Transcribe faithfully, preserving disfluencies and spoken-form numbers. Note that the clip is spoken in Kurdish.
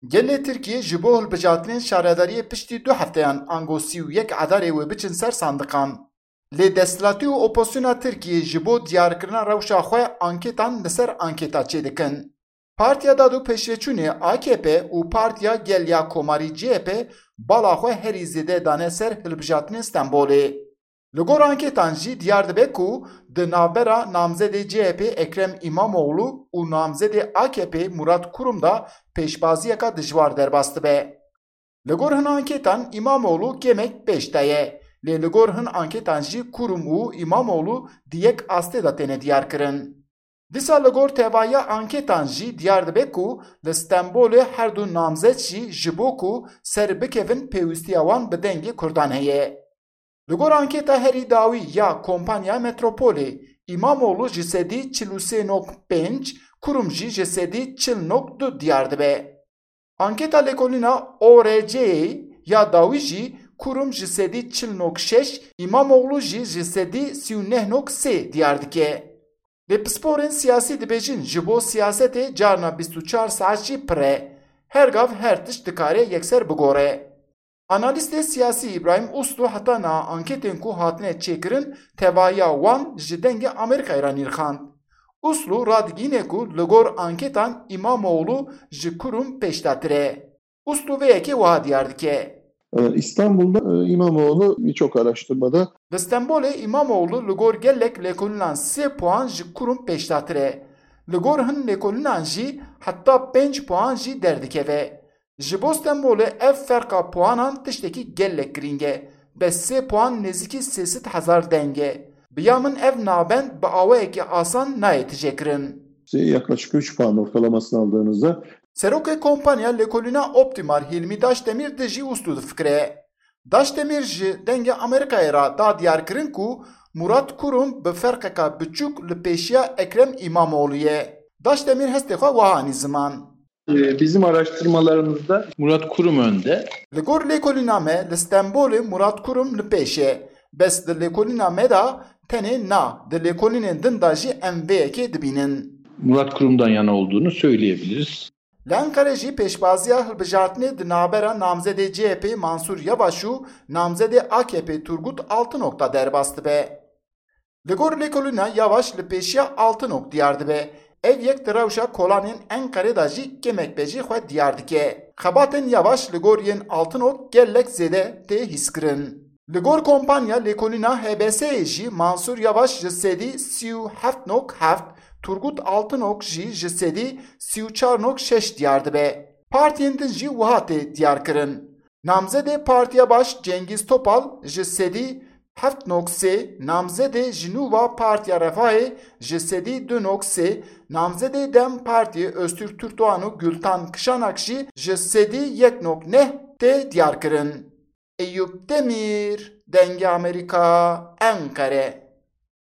Gelê Tirkiyê ji bo hilbijartinên şaredariyê piştî du hefteyan ango sî û yek Adarê wê biçin ser sandiqan. Lê desthilatî û opozisyona Tirkiyê ji bo diyarkirina rewşa xwe anketan li ser anketa çêdikin. Partiya Dad û Pêşveçûnê A K P û Partiya Gel ya Komarî C H P bala xwe herî zêde dane ser hilbijartinên Stenbolê. Li gor anketan jî diyar dibe ku di navbera namzedê C H P Ekrem Îmamoğlu û namzedê A K P Murat Kurum de pêşbaziyeke dijwar derbas dibe. Li gor hin anketan Îmamoğlu kêmek pêş de ye, lê li gor hin anketan jî Kurum û Îmamoğlu di yek astê de têne diyarkirin. Dîsa li gor tevahiya anketan jî diyar dibe ku li Stenbolê her du namzet jî ji bo ku ser bikevin pêwîstiya wan bi dengê Kurdan heye. Li gor anketa herî dawî ya Kompanya Metropolê, Îmamoğlu ji sedî çil û sê nok pênc, Kurum jî ji sedî çil nok du diyar dibe. Anketa lêkolîna O R C'yê ya dawî jî Kurum ji sedî çil nok şeş, Îmamoğlu jî ji sedî sî û neh nok sê diyar dike. Lê pisporên siyasî dibêjin ji bo siyasetê carna bîst û çar saet jî pir e. Her gav her tişt dikare yekser bigore. Analîstê siyasî Îbrahîm Uslu heta niha anketên ku hatine çêkirin tevahiya wan ji Dengê Amerîkayê re nirxand. Uslu radigihîne ku li gor anketan Îmamoğlu ji Kurum pêşdatir e. Uslu vê yekê wiha diyar dike. Ee, İstanbul'da e, İmamoğlu birçok araştırmada Li Stenbolê Îmamoğlu li gor gelek lêkolînan sê puan ji Kurum pêşdatir e. Li gor hin lêkolînan jî heta pênc puan jî derdikeve. Ji bo Stenbolê ev ferqa puanan tiştekî gelek girîng e. Bes sê puan nêzîkî sê sed hezar deng e. Bi ya min ev navbend bi awayekî asan nayê tijêkirin. Yaklaşık üç puan ortalamasını aldığınızda Serokê kompanya lêkolîna Optimar Hilmi Daşdemir de jî Uslu difikire. Daşdemir ji Dengê Amerîkayê re da diyarkirin ku Murat Kurum bi ferqeka biçûk li pêşiya Ekrem Îmamoğlu ye. Daşdemir hestê xwe wiha anî ziman. Ee, bizim araştırmalarımızda Murat Kurum önde. Li gor lêkolîna me li Stenbolê Murat Kurum li pêş e. Bes di lêkolîna me de tenê na, di lêkolînên din de jî em vê yekê dibînin. Murat Kurum'dan yana olduğunu söyleyebiliriz. Li Enqere jî pêşbaziya hilbijartinê di navbera namzedê C H P Mansur Yavaş û namzedê A K P Turgut Altınok de derbas dibe. Li gor lêkolîna Yavaş li pêşiya Altınok diyar dibe. Ev yek di rewşa kolanên Enqerê de jî kêmek be jî xwe diyar dike. Xebatên Yavaş li gor yên Altınok gelek zêde tê hîskirin. Li gor kompanya lêkolîna H B S'yê jî Mansur Yavaş ji sedî sî û heft nok heft, Turgut Altınok jî ji sedî sî û çar nok şeş diyar dibe. Partiyên din jî wiha tê diyarkirin. Namzedê Partiya Baş Cengiz Topal ji sedî heft nok sê, namzedê ji nû ve Partiya Refahê ji sedî du nok sê, namzedê DEM Partiyê Öztürk Türkdoğan û Gültan Kışanak jî ji sedî yek nok neh tê diyarkirin. Eyûp Demîr, Dengê Amerîka, Enqere.